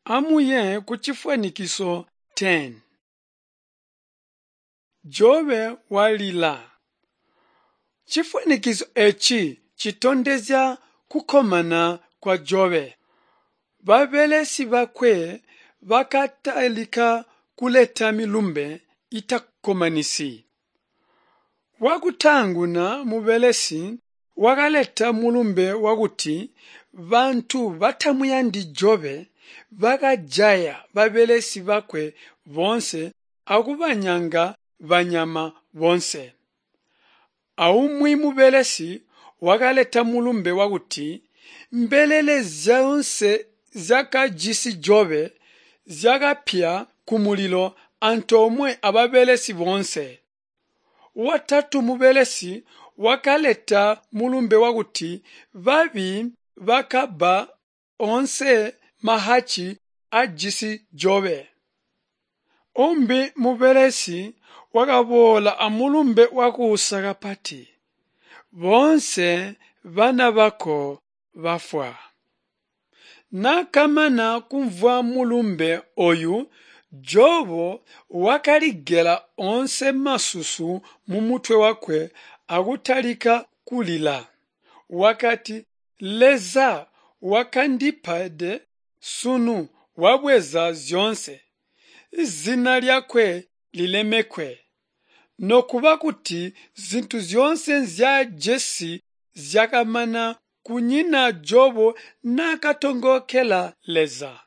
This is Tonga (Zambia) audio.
Amuye kucifwanikiso 10. Jobe walila. Cifwanikiso eeci citondezya kukkomana kwa Jobe. Babelesi bakwe bakatalika kuleta milumbe itakkomanisyi. Wakutaanguna mubelesi wakaleta mulumbe wakuti bantu batamuyandi Jobe bakajaya babelesi bakwe boonse akubanyanga banyama boonse. Aumwi mubelesi wakaleta mulumbe wakuti mbelele zyoonse zyakajisi Jobe zyakapya kumulilo antoomwe ababelesi boonse. Watatu mubelesi wakaleta mulumbe wakuti babi bakabba oonse mahacci aajisi Jobe. Umbi mubelesi wakaboola amulumbe wakuusa kapati. Boonse bana bako bafwa. Naakamana kumvwa mulumbe ooyu, Jobo wakaligela oonse masusu mumutwe wakwe akutalika kulila. Wakati, Leza wakandipede sunu wabweza zyoonse. Zina lyakwe lilemekwe. Nokuba kuti zintu zyoonse nzyaajisi zyakamana kunyina Jobo naakatongookela Leza.